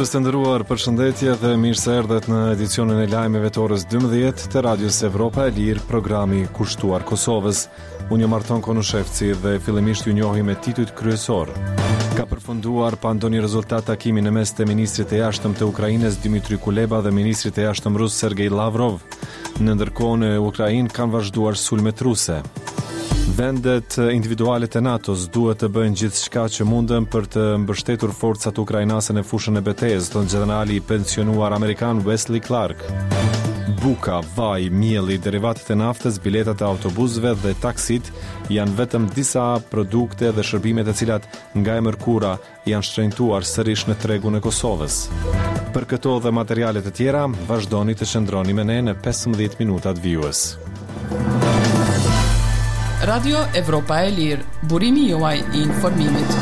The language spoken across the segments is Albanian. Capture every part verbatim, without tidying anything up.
Dëgjues të nderuar, përshëndetje dhe mirë se erdhët në edicionin e lajmeve të orës dymbëdhjetë të Radios Evropa e Lirë, programi kushtuar Kosovës. Unë jam Arton Konushevci dhe fillimisht ju njohim me titujt kryesor. Ka përfunduar pa ndonjë rezultat takimi në mes të ministrit të jashtëm të Ukrainës Dmitry Kuleba dhe ministrit të jashtëm rus Sergej Lavrov. Në ndërkohë në Ukrainë kanë vazhduar sulmet ruse. Vendet individuale të NATO-s duhet të bëjnë gjithçka që munden për të mbështetur forcat ukrainase në fushën e betejës, thotë gjenerali i pensionuar amerikan Wesley Clark. Buka, vaj, mielli, derivatet e naftës, biletat e autobusëve dhe taksit janë vetëm disa produkte dhe shërbime të cilat nga e mërkura janë shtrenjtuar sërish në tregun e Kosovës. Për këto dhe materiale të tjera, vazhdoni të qëndroni me ne në pesëmbëdhjetë minutat vijues. Radio Evropa e Lirë, burimi juaj i informimit.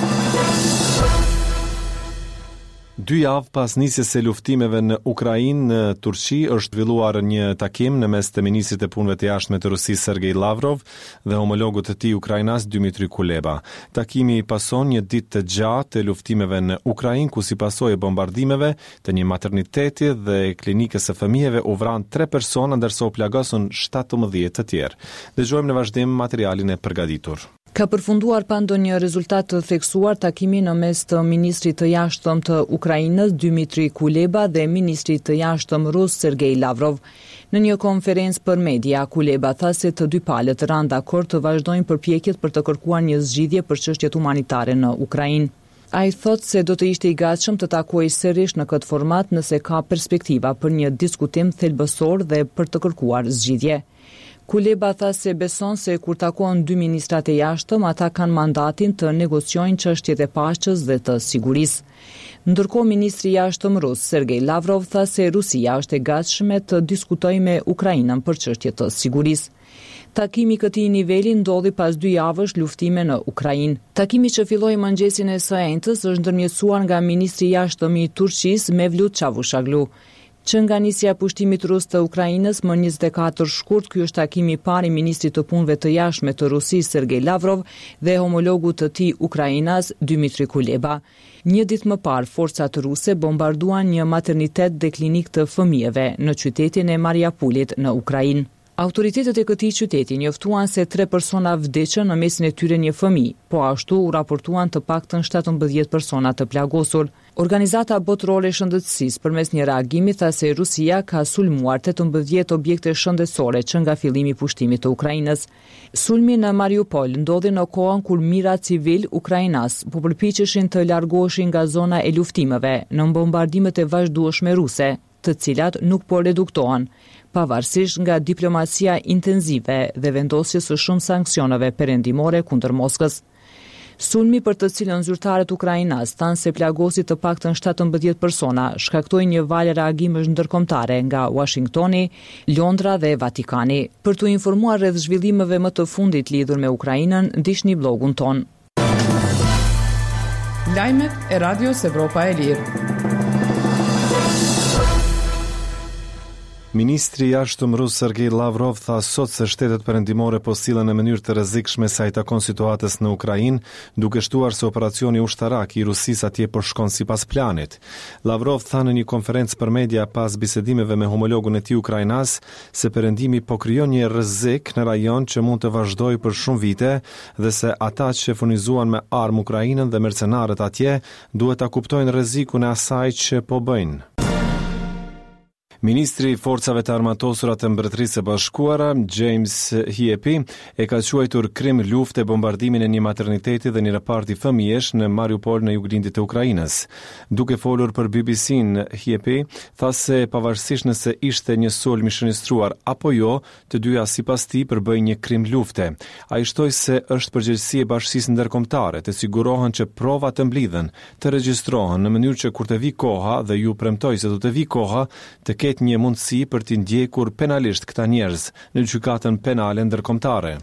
Dy javë pas nisjes së luftimeve në Ukrainë, në Turqi është zhvilluar një takim në mes të ministrit të Punëve të Jashtme të Rusisë Sergej Lavrov dhe homologut të tij ukrainas Dmitry Kuleba. Takimi pason një ditë të gjatë të luftimeve në Ukrainë, ku si pasojë e bombardimeve të një materniteti dhe klinikës së fëmijëve u vranë tre persona ndërsa u plagosën shtatëmbëdhjetë të tjerë. Dëgjojmë në vazhdim materialin e përgatitur. Ka përfunduar pa ndonjë rezultat të theksuar takimi në mes të ministrit të jashtëm të Ukrainës Dmitry Kuleba dhe ministrit të jashtëm rus Sergej Lavrov. Në një konferencë për media, Kuleba tha se të dy palët ranë dakord të vazhdojnë përpjekjet për të kërkuar një zgjidhje për çështjet humanitare në Ukrainë. Ai thotë se do të ishte i gatshëm të takohej sërish në këtë format nëse ka perspektiva për një diskutim thelbësor dhe për të kërkuar zgjidhje. Kuleba tha se beson se kur takohen dy ministrat e jashtëm, ata kanë mandatin të negociojnë çështjet e paqes dhe të sigurisë. Ndërkohë, ministri i jashtëm rus Sergej Lavrov tha se Rusia është e gatshme të diskutojë me Ukrainën për çështje të sigurisë. Takimi i këtij niveli ndodhi pas dy javësh luftime në Ukrainë. Takimi që filloi mëngjesin e së enjtës është ndërmjetësuar nga ministri i jashtëm i Turqisë Mevlut Çavuşoglu. Që nga nisja e pushtimit rus të Ukrainës më njëzet e katër shkurt, ky është takimi i parë i ministrit të Punëve të Jashtme të Rusisë Sergej Lavrov dhe homologut të tij ukrainas Dmitry Kuleba. Një ditë më parë, forcat ruse bombarduan një maternitet dhe klinikë të fëmijëve në qytetin e Mariupolit në Ukrainë. Autoritetet e këtij qyteti njoftuan se tre persona vdiqën, në mesin e tyre një fëmijë, po ashtu u raportuan të paktën shtatëmbëdhjetë persona të plagosur. Organizata Botërore e Shëndetësisë përmes një reagimi tha se Rusia ka sulmuar tetëmbëdhjetë objekte shëndetësore që nga fillimi i pushtimit të Ukrainës. Sulmi në Mariupol ndodhi në kohën kur mijëra civil ukrainas po përpiqeshin të largoheshin nga zona e luftimeve në bombardimet e vazhdueshme ruse, të cilat nuk po reduktohen, pavarësisht nga diplomacia intensive dhe vendosjes së shumë sanksioneve perëndimore kundër Moskës. Sulmi për të cilën zyrtarët ukrainas thanë se plagosi të paktën shtatëmbëdhjetë persona shkaktoi një valë reagimesh ndërkombëtare nga Washingtoni, Londra dhe Vatikani. Për t'u informuar rreth zhvillimeve më të fundit lidhur me Ukrainën, ndiqni blogun ton. Lajmet e Radios Evropa e Lirë. Ministri i jashtëm rus Sergej Lavrov tha sot se shtetet perëndimore po sillen në mënyrë të rrezikshme sa i takon situatës në Ukrainë, duke shtuar se operacioni ushtarak i Rusisë atje po shkon sipas planit. Lavrov tha në një konferencë për media pas bisedimeve me homologun e tij ukrainas se perëndimi po krijon një rrezik në rajon që mund të vazhdojë për shumë vite dhe se ata që furnizuan me armë Ukrainën dhe mercenarët atje duhet ta kuptojnë rrezikun e asaj që po bëjnë. Ministri i Forcave të Armatosura të Mbretërisë së Bashkuara, James Heappey, e ka quajtur krim lufte bombardimin e një materniteti dhe një reparti fëmijësh në Mariupol në juglindje të Ukrainës. Duke folur për B B C-n, Heappey tha se pavarësisht nëse ishte një sulm i shënjestruar apo jo, të dyja sipas tij përbëjnë një krim lufte. Ai shtoi se është përgjegjësi e bashkësisë ndërkombëtare të sigurohen që provat të mblidhen, të regjistrohen në mënyrë që kur të vi koha, dhe ju premtoj se do të vi koha, të ketë një mundësi për t'i ndjekur penalisht këta njerëz në gjykatën penale ndërkombëtare.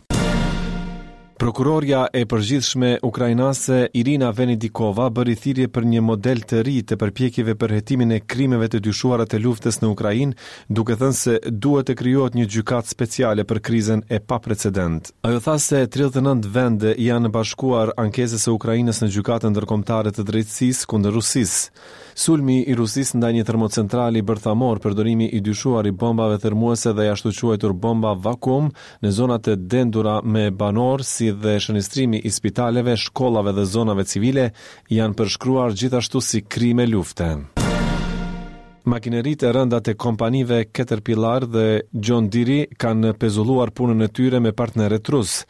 Prokuroria e përgjithshme ukrainase Irina Venedikova bëri thirrje për një model të ri të përpjekjeve për hetimin e krimeve të dyshuara të luftës në Ukrainë, duke thënë se duhet të krijohet një gjykatë speciale për krizën e paprecedent. Ajo tha se tridhjetë e nëntë vende i janë bashkuar ankesës së Ukrainës në gjykatën ndërkombëtare të drejtësisë kundër Rusisë. Sulmi i Rusisë ndaj një termocentrali bërthamor, përdorimi i dyshuar i bombave thërrmuese dhe ashtu quajtur bomba vakum në zonat e dendura me banor, si dhe shënjestrimi i spitaleve, shkollave dhe zonave civile, janë përshkruar gjithashtu si krime lufte. Makineritë e rënda të kompanive Caterpillar dhe John Deere kanë pezulluar punën e tyre me partnerët rus.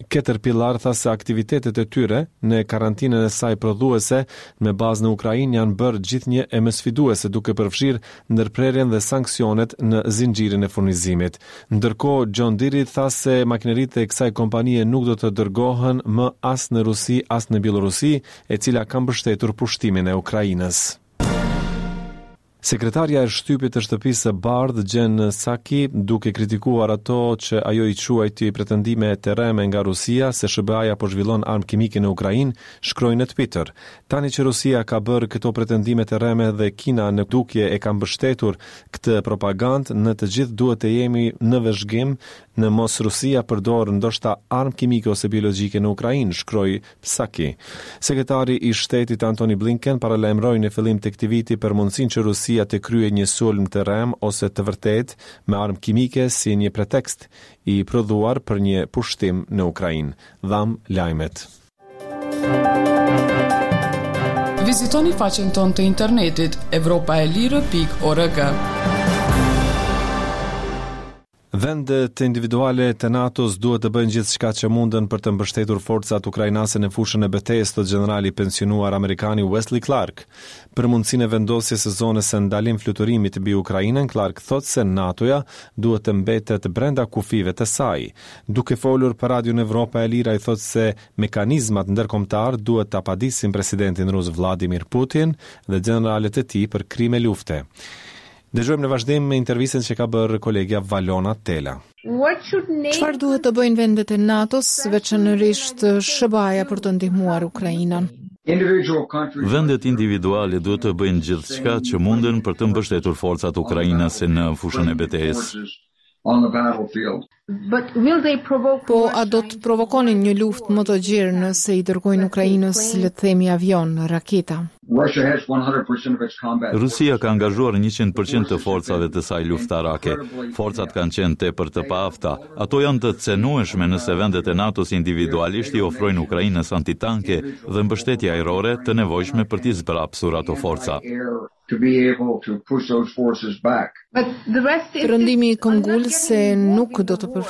Caterpillar tha se aktivitetet e tyre në karantinën e saj prodhuese me bazë në Ukrainë janë bërë gjithnjë e më sfiduese, duke përfshirë ndërprerjen dhe sanksionet në zinxhirin e furnizimit. Ndërkohë, John Deere tha se makineritë e kësaj kompanie nuk do të dërgohen më as në Rusi, as në Bielorusi, e cila ka mbështetur pushtimin e Ukrainës. Sekretarja e shtypit të Shtëpisë së Bardhë, Jen Psaki, duke kritikuar ato që ajo i quajti pretendime të rreme nga Rusia se S H B A-ja po zhvillon armë kimike në Ukrainë, shkroi në Twitter: "Tani që Rusia ka bërë këto pretendime të rreme dhe Kina në dukje e ka mbështetur këtë propagandë, ne të gjithë duhet të jemi në vëzhgim në mos Rusia përdor ndoshta armë kimike ose biologjike në Ukrainë", shkroi Psaki. Sekretari i Shtetit Antony Blinken paralajmëroi në fillim të këtij viti për mundësinë që Rusia të kryejë një sulm të rrem ose të vërtet me armë kimike si një pretekst i prodhuar për një pushtim në Ukrainë. Dham lajmet. Vizitoni faqen tonë të internetit evropaelire pikë org. Vendet individuale të NATO-s duhet të bëjnë gjithçka që munden për të mbështetur forcat ukrainase në fushën e betejës, thotë gjenerali pensionuar amerikani Wesley Clark. Për mundësinë e vendosjes së zonës së ndalim fluturimit mbi Ukrainën, Clark thotë se NATO-ja duhet të mbetet brenda kufijve të saj. Duke folur për Radion Evropa e Lirë, ai thotë se mekanizmat ndërkombëtar duhet ta padisin presidentin rus Vladimir Putin dhe gjeneralët e tij për krime lufte. Dëgjojmë në vazhdim me intervistën që ka bërë kolegja Valona Tela. Çfarë duhet të bëjnë vendet e NATO-s, veçanërisht S H B A-ja, për të ndihmuar Ukrainën? Vendet individuale duhet të bëjnë gjithçka që munden për të mbështetur forcat ukrainase në fushën e betejës. Po a do të provokonin një luftë më të gjerë nëse i dërgojnë Ukrainës, le të themi, avion, raketa? Rusia ka angazhuar njëqind për qind të forcave të saj luftarake. Forcat kanë qenë tepër të paafta. Ato janë të cenueshme nëse vendet e NATO-s individualisht i ofrojnë Ukrainës antitanke dhe mbështetje ajrore të nevojshme për t'i zbrapsur ato forca. Perëndimi këmbgul se nuk do të